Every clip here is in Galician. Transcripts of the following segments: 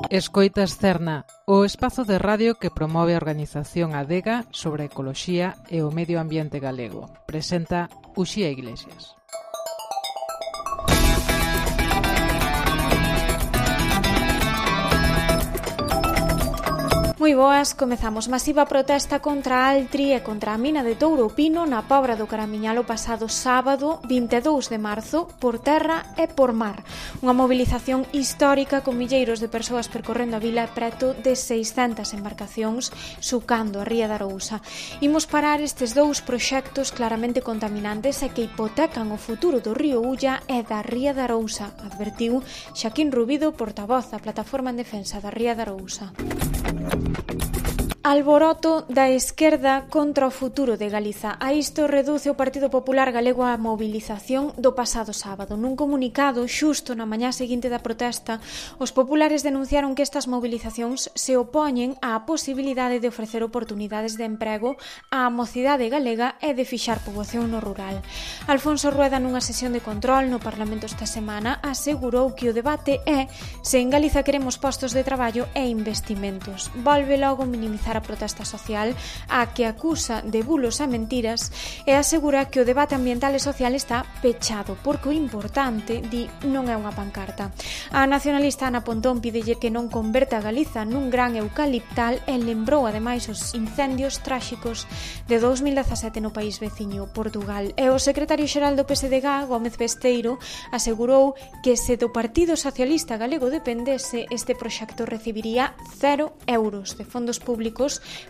Escoitas Cerna, o espazo de radio que promove a organización Adega sobre a ecoloxía e o medio ambiente galego. Presenta Uxía Iglesias. Moi boas, comezamos masiva protesta contra a Altri e contra a mina de Touro Pino na Pobra do Caramiñal o pasado sábado 22 de marzo por terra e por mar. Unha mobilización histórica con milleiros de persoas percorrendo a vila e preto de 600 embarcacións sucando a Ría da Arousa. Imos parar estes dous proxectos claramente contaminantes e que hipotecan o futuro do río Ulla e da Ría da Arousa, advertiu Xaquín Rubido, portavoz da Plataforma en Defensa da Ría da Arousa. Alboroto da esquerda contra o futuro de Galiza. A isto reduce o Partido Popular Galego a mobilización do pasado sábado. Nun comunicado, xusto na mañá seguinte da protesta, os populares denunciaron que estas mobilizacións se opoñen á posibilidade de ofrecer oportunidades de emprego á mocidade galega e de fixar poboación no rural. Alfonso Rueda, nunha sesión de control no Parlamento esta semana, asegurou que o debate é se en Galiza queremos postos de traballo e investimentos. Volve logo minimizar a protesta social a que acusa de bulos e mentiras e asegura que o debate ambiental e social está pechado porque o importante, di, non é unha pancarta. A nacionalista Ana Pontón pídelle que non converta a Galiza nun gran eucaliptal e lembrou ademais os incendios tráxicos de 2017 no país veciño, Portugal. E o secretario xeral do PSDG, Gómez Besteiro, asegurou que se do Partido Socialista Galego dependese, este proxecto recibiría 0 euros de fondos públicos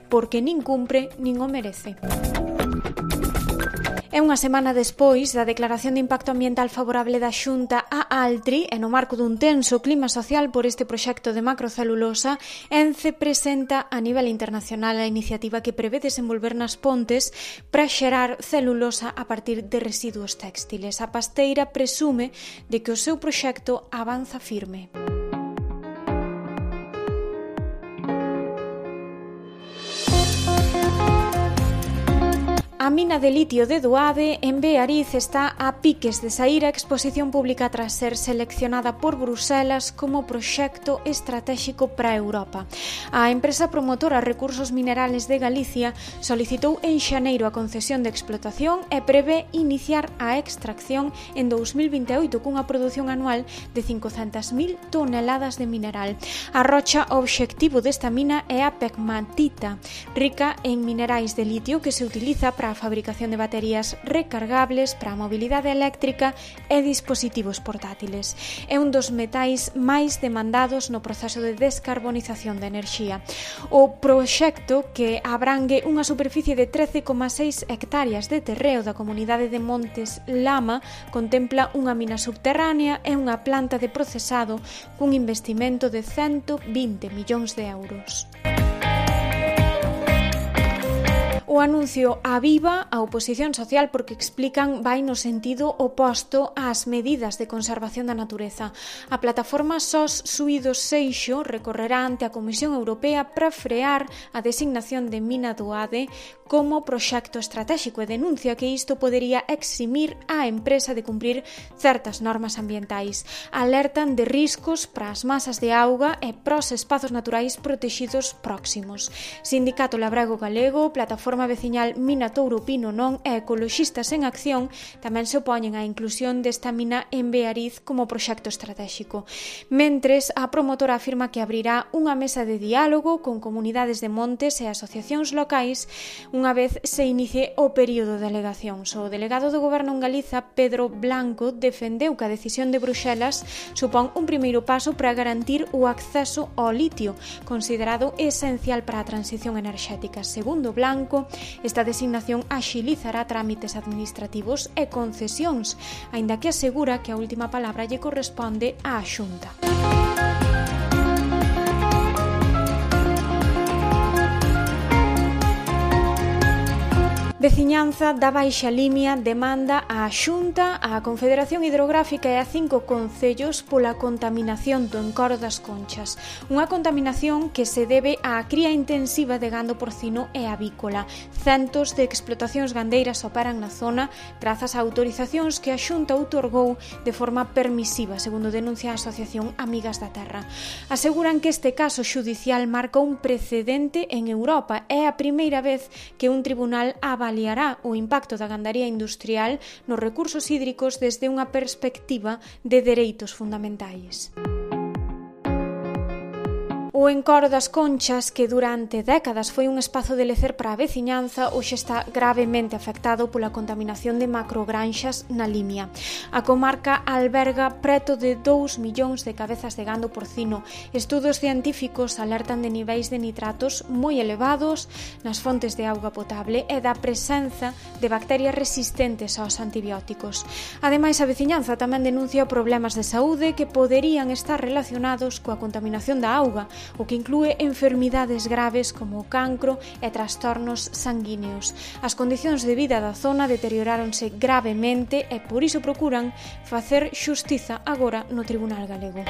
porque nin cumpre nin o merece. É unha semana despois da declaración de impacto ambiental favorable da Xunta a Altri e no marco dun tenso clima social por este proxecto de macrocelulosa, ENCE presenta a nivel internacional a iniciativa que prevé desenvolver nas pontes para xerar celulosa a partir de residuos téxtiles. A pasteira presume de que o seu proxecto avanza firme. A mina de litio de Doade, en Beariz, está a piques de saír a exposición pública tras ser seleccionada por Bruselas como proxecto estratéxico para Europa. A empresa promotora Recursos Minerales de Galicia solicitou en xaneiro a concesión de explotación e prevé iniciar a extracción en 2028 cunha produción anual de 500.000 toneladas de mineral. A rocha obxectivo desta mina é a pegmatita, rica en minerais de litio que se utiliza para a fabricación de baterías recargables para a mobilidade eléctrica e dispositivos portátiles. É un dos metais máis demandados no proceso de descarbonización da enerxía. O proxecto, que abrangue unha superficie de 13,6 hectáreas de terreo da comunidade de Montes Lama, contempla unha mina subterránea e unha planta de procesado cun investimento de 120 millóns de euros. O anuncio aviva a oposición social porque explican vai no sentido oposto ás medidas de conservación da natureza. A plataforma SOS Suídos Seixo recorrerá ante a Comisión Europea para frear a designación de mina Doade como proxecto estratéxico e denuncia que isto podería eximir a empresa de cumprir certas normas ambientais. Alertan de riscos para as masas de auga e para os espazos naturais protexidos próximos. Sindicato Labrego Galego, Plataforma Veciñal Mina Touro Pino Non e Ecoloxistas en Acción tamén se opoñen á inclusión desta mina en Beariz como proxecto estratéxico. Mentres, a promotora afirma que abrirá unha mesa de diálogo con comunidades de montes e asociacións locais unha vez se inicie o período de alegacións. O delegado do Goberno en Galiza, Pedro Blanco, defendeu que a decisión de Bruxelas supón un primeiro paso para garantir o acceso ao litio, considerado esencial para a transición enerxética. Segundo Blanco, esta designación axilizará trámites administrativos e concesións, aínda que asegura que a última palabra lle corresponde á Xunta. Veciñanza da Baixa Limia demanda á Xunta, á Confederación Hidrográfica e a 5 concellos pola contaminación do encoro das Conchas. Unha contaminación que se debe á cría intensiva de gando porcino e avícola. Centos de explotacións gandeiras operan na zona grazas a autorizacións que a Xunta outorgou de forma permisiva, segundo denuncia a Asociación Amigas da Terra. Aseguran que este caso xudicial marca un precedente en Europa. É a primeira vez que un tribunal avaliará o impacto da gandaría industrial nos recursos hídricos desde unha perspectiva de dereitos fundamentais. O encoro das Conchas, que durante décadas foi un espazo de lecer para a veciñanza, hoxe está gravemente afectado pola contaminación de macrogranxas na Limia. A comarca alberga preto de 2 millóns de cabezas de gando porcino. Estudos científicos alertan de niveis de nitratos moi elevados nas fontes de auga potable e da presenza de bacterias resistentes aos antibióticos. Ademais, a veciñanza tamén denuncia problemas de saúde que poderían estar relacionados coa contaminación da auga, o que inclúe enfermidades graves como o cancro e trastornos sanguíneos. As condicións de vida da zona deterioráronse gravemente e por iso procuran facer xustiza agora no Tribunal Galego.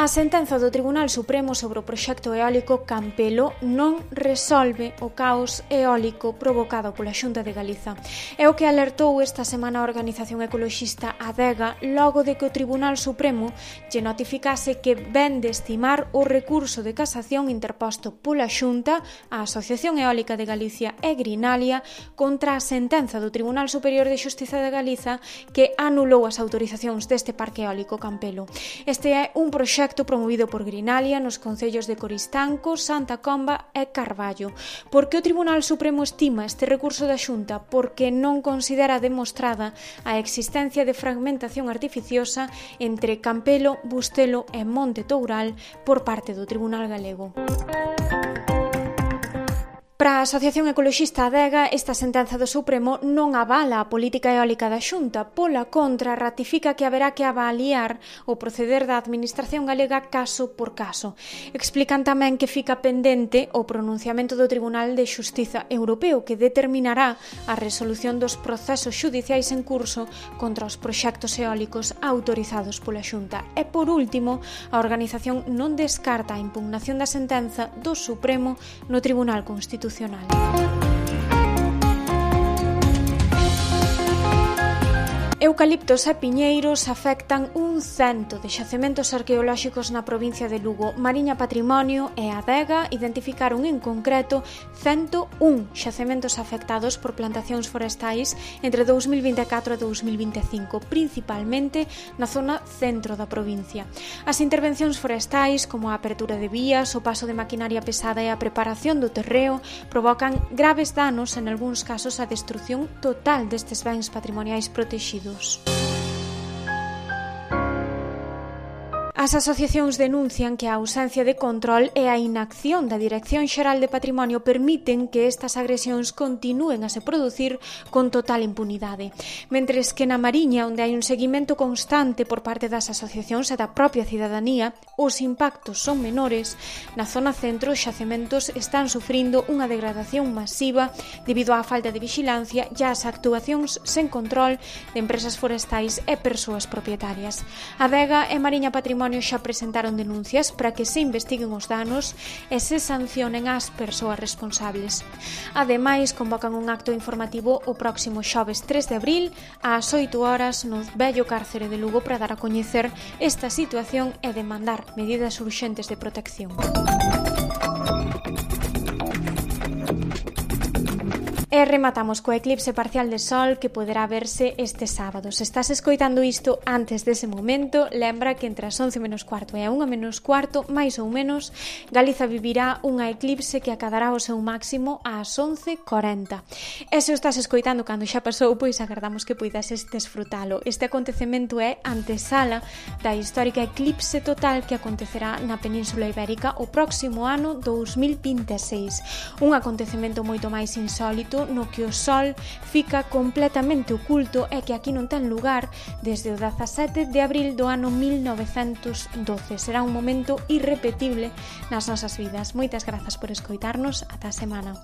A sentenza do Tribunal Supremo sobre o proxecto eólico Campelo non resolve o caos eólico provocado pola Xunta de Galiza. É o que alertou esta semana a organización ecoloxista Adega logo de que o Tribunal Supremo lle notificase que ven de estimar o recurso de casación interposto pola Xunta, a Asociación Eólica de Galicia e Grinalia contra a sentenza do Tribunal Superior de Xustiza de Galiza que anulou as autorizacións deste parque eólico Campelo. Este é un proxecto promovido por Grinalia nos concellos de Coristanco, Santa Comba e Carballo. Por que o Tribunal Supremo estima este recurso da Xunta? Porque non considera demostrada a existencia de fragmentación artificiosa entre Campelo, Bustelo e Monte Toural por parte do Tribunal Galego. Para a Asociación Ecoloxista Adega, esta sentenza do Supremo non avala a política eólica da Xunta, pola contra ratifica que haberá que avaliar o proceder da Administración galega caso por caso. Explican tamén que fica pendente o pronunciamento do Tribunal de Xustiza Europeo que determinará a resolución dos procesos xudiciais en curso contra os proxectos eólicos autorizados pola Xunta. E por último, a organización non descarta a impugnación da sentenza do Supremo no Tribunal Constitucional. Eucaliptos e piñeiros afectan un 100 de xacementos arqueolóxicos na provincia de Lugo. Mariña Patrimonio e Adega identificaron en concreto 101 xacementos afectados por plantacións forestais entre 2024 e 2025, principalmente na zona centro da provincia. As intervencións forestais, como a apertura de vías, o paso de maquinaria pesada e a preparación do terreo, provocan graves danos, en algúns casos a destrución total destes bens patrimoniais protegidos. As asociacións denuncian que a ausencia de control e a inacción da Dirección Xeral de Patrimonio permiten que estas agresións continúen a se producir con total impunidade. Mentres que na Mariña, onde hai un seguimento constante por parte das asociacións e da propia cidadanía, os impactos son menores, na zona centro os xacementos están sufrindo unha degradación masiva debido á falta de vixilancia e ás actuacións sen control de empresas forestais e persoas propietarias. Adega e Mariña Patrimonio xa presentaron denuncias para que se investiguen os danos e se sancionen as persoas responsables. Ademais, convocan un acto informativo o próximo xoves 3 de abril ás 8 horas no vello cárcere de Lugo para dar a coñecer esta situación e demandar medidas urxentes de protección. E rematamos co eclipse parcial de sol que poderá verse este sábado. Se estás escoitando isto antes dese momento, lembra que entre as 11 menos cuarto e a 1 menos cuarto, máis ou menos, Galiza vivirá unha eclipse que acadará o seu máximo ás 11:40. E se o estás escoitando cando xa pasou, pois agardamos que poidases desfrutalo. Este acontecemento é antesala da histórica eclipse total que acontecerá na Península Ibérica o próximo ano 2026. Un acontecemento moito máis insólito momento no que o Sol fica completamente oculto e que aquí non ten lugar desde o 17 de abril do ano 1912. Será un momento irrepetible nas nosas vidas. Moitas grazas por escoitarnos. Ata a semana.